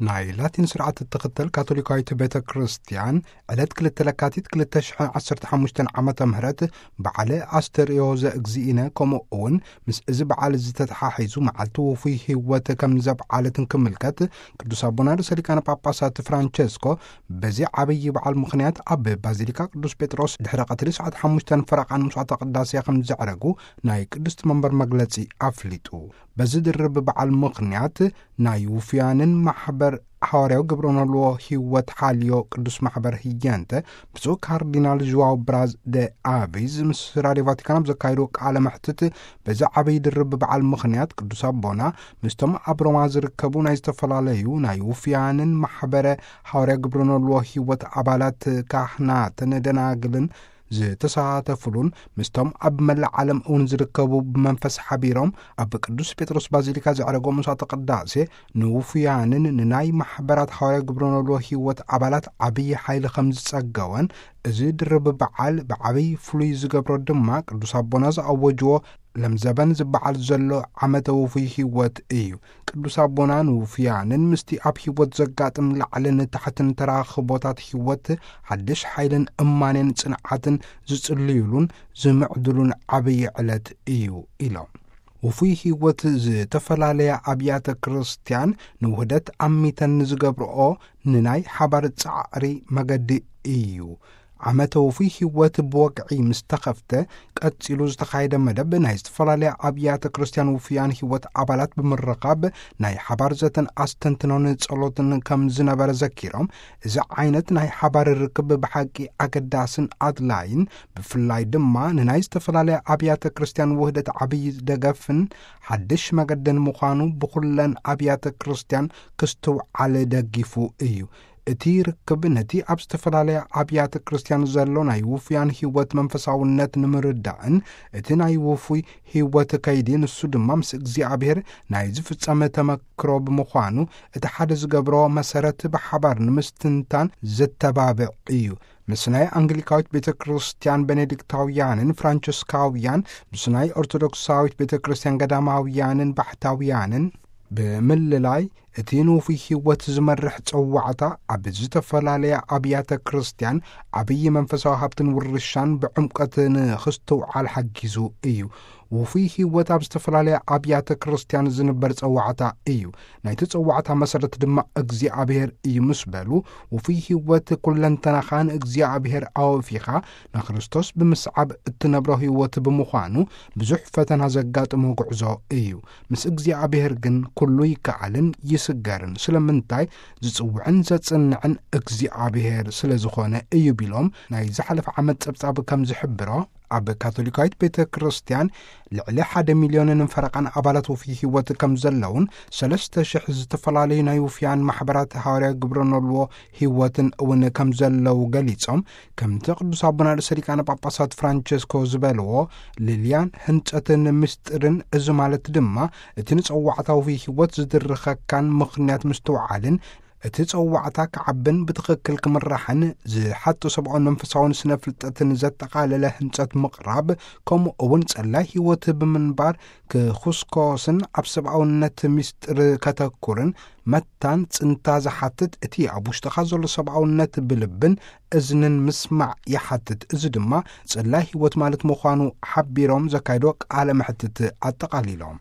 ናይ ላቲን ስርዓት እትኽተል ካቶሊካዊት ቤተ ክርስቲያን ዕለት ክልተ ለካቲት ክልተ ሽሕን ዓሰርተ ሓሙሽተን ዓመተ ምህረት በዓለ ኣስተርእዮ ዘእግዚእነ፣ ከምኡ እውን ምስ እዚ በዓል ዝተተሓሒዙ መዓልቲ ውፉይ ህይወት ከም ዘብዓለትን ክምልከት፣ ቅዱስ ኣቦና ርእሰ ሊቃነ ጳጳሳት ፍራንቸስኮ በዚ ዓብዪ በዓል ምኽንያት ኣብ ባዚሊካ ቅዱስ ጴጥሮስ ድሕሪ ቀትሪ ሰዓት ሓሙሽተን ፈረቓን መስዋዕተ ቅዳሴ ከም ዘዕረጉ ናይ ቅድስቲ መንበር መግለጺ ኣፍሊጡ። በዚ ድርብ በዓል ምኽንያት ናይ ውፍያንን ማሕበር ሓዋርያዊ ግብረ ኖልዎ ህይወት ሓልዮ ቅዱስ ማሕበር ህየንተ ብፁዕ ካርዲናል ዥዋው ብራዝ ደ ኣቪዝ ምስ ራድዮ ቫቲካን ኣብ ዘካየድዎ ቃለ መሕትት፣ በዚ ዓብዪ ድርብ በዓል ምኽንያት ቅዱስ ኣቦና ምስቶም ኣብ ሮማ ዝርከቡ ናይ ዝተፈላለዩ ናይ ውፍያንን ማሕበረ ሓዋርያ ግብረ ኖልዎ ህይወት ኣባላት፣ ካህናትን ደናግልን ዝተሳተፉሉን ምስቶም ኣብ መላእ ዓለም እውን ዝርከቡ ብመንፈስ ሓቢሮም ኣብ ቅዱስ ጴጥሮስ ባዚሊካ ዘዕረጎ መስዋዕተ ቅዳሴ ንውፉያንን ንናይ ማሕበራት ሓዋርያ ግብረ ኖልዎ ህይወት ኣባላት ዓብዪ ሓይሊ ከም ዝጸገወን፣ እዚ ድርብ በዓል ብዓብዪ ፍሉይ ዝገብሮ ድማ ቅዱስ ኣቦና ዝኣወጅዎ ለምዘበን ዝበዓል ዘሎ ዓመተ ውፉይ ህይወት እዩ። ቅዱስ ኣቦና ንውፉያንን ምስቲ ኣብ ህይወት ዘጋጥም ላዕልን ታሕትን ተራኽቦታት ህይወት ሓድሽ ሓይልን እማኔን ጽንዓትን ዝጽልዩሉን ዝምዕድሉን ዓብዪ ዕለት እዩ ኢሎም። ውፉይ ህይወት ዝተፈላለያ ኣብያተ ክርስቲያን ንውህደት ኣሚተን ንዝገብርኦ ንናይ ሓባር ጻዕሪ መገዲ እዩ። ዓመተ ውፉይ ህይወት ብወግዒ ምስ ተኸፍተ፣ ቀጺሉ ዝተኻየደ መደብ ናይ ዝተፈላለያ ኣብያተ ክርስቲያን ውፉያን ህይወት ኣባላት ብምርኻብ ናይ ሓባር ዘተን ኣስተንትኖን ጸሎትን ከም ዝነበረ ዘኪሮም፣ እዚ ዓይነት ናይ ሓባር ርክብ ብሓቂ ኣገዳስን ኣድላይን፣ ብፍላይ ድማ ንናይ ዝተፈላለያ ኣብያተ ክርስቲያን ውህደት ዓብዪ ደገፍን ሓድሽ መገድን ምዃኑ ብኹለን ኣብያተ ክርስቲያን ክስትውዓል ደጊፉ እዩ። እቲ ርክብ ነቲ ኣብ ዝተፈላለያ ኣብያተ ክርስቲያን ዘሎ ናይ ውፉያን ህይወት መንፈሳውነት ንምርዳእን እቲ ናይ ውፉይ ህይወት ከይዲ ንሱ ድማ ምስ እግዚኣብሔር ናይ ዝፍጸመ ተመክሮ ብምዃኑ፣ እቲ ሓደ ዝገብሮ መሰረት ብሓባር ንምስትንታን ዘተባብዕ እዩ። ምስ ናይ ኣንግሊካዊት ቤተ ክርስቲያን ቤኔዲክታውያንን ፍራንቸስካውያን፣ ምስ ናይ ኦርቶዶክሳዊት ቤተ ክርስቲያን ገዳማውያንን ባሕታውያንን ብምልላይ፣ እቲ ንውፉይ ህይወት ዝመርሕ ጸዋዕታ ኣብ ዝተፈላለያ ኣብያተ ክርስቲያን ዓብዪ መንፈሳዊ ሃብትን ውርሻን ብዕምቀት ንኽስትውዓል ሓጊዙ እዩ። ውፉይ ህይወት ኣብ ዝተፈላለያ ኣብያተ ክርስቲያን ዝንበር ጸዋዕታ እዩ። ናይቲ ጸዋዕታ መሰረት ድማ እግዚኣብሔር እዩ ምስ በሉ፣ ውፉይ ህይወት ኩለንተናኻ ንእግዚኣብሔር ኣወፊኻ ንክርስቶስ ብምስዓብ እትነብሮ ህይወት ብምዃኑ፣ ብዙሕ ፈተና ዘጋጥሞ ጉዕዞ እዩ። ምስ እግዚኣብሔር ግን ኩሉ ይከኣልን ይስገርን። ስለምንታይ? ዝጽውዕን ዘጽንዕን እግዚኣብሔር ስለ ዝኾነ እዩ ቢሎም፣ ናይ ዝሓለፈ ዓመት ጸብጻብ ከም ዝሕብሮ፣ ኣብ ካቶሊካዊት ቤተ ክርስቲያን ልዕሊ ሓደ ሚልዮንን ፈረቓን ኣባላት ውፉይ ህይወት ከም ዘለውን፣ ሰለስተ ሽሕ ዝተፈላለዩ ናይ ውፍያን ማሕበራት ሃዋርያ ግብረ ኖልዎ ህይወትን እውን ከም ዘለዉ ገሊጾም፣ ከምቲ ቅዱስ ኣቦና ርእሰ ሊቃነ ጳጳሳት ፍራንቸስኮ ዝበልዎ፣ ልልያን ህንጸትን ምስጢርን፣ እዚ ማለት ድማ እቲ ንጸዋዕታዊ ህይወት ዝድርኸካን ምኽንያት ምስትውዓልን፣ እቲ ጸዋዕታ ክዓብን ብትኽክል ክምራሕን ዝሓቶ ሰብኣውን መንፈሳውን ስነ ፍልጠትን ዘጠቓለለ ህንጸት ምቕራብ፣ ከምኡ እውን ጸላይ ህይወት ብምንባር ክኹስኮስን ኣብ ሰብኣውነት ምስጢር ከተኩርን መታን ጽንታ ዝሓትት፣ እቲ ኣብ ውሽጥኻ ዘሎ ሰብኣውነት ብልብን እዝንን ምስማዕ ይሓትት። እዚ ድማ ጸላይ ህይወት ማለት ምዃኑ ሓቢሮም ዘካይዶ ቃለ መሕትት ኣጠቓሊሎም።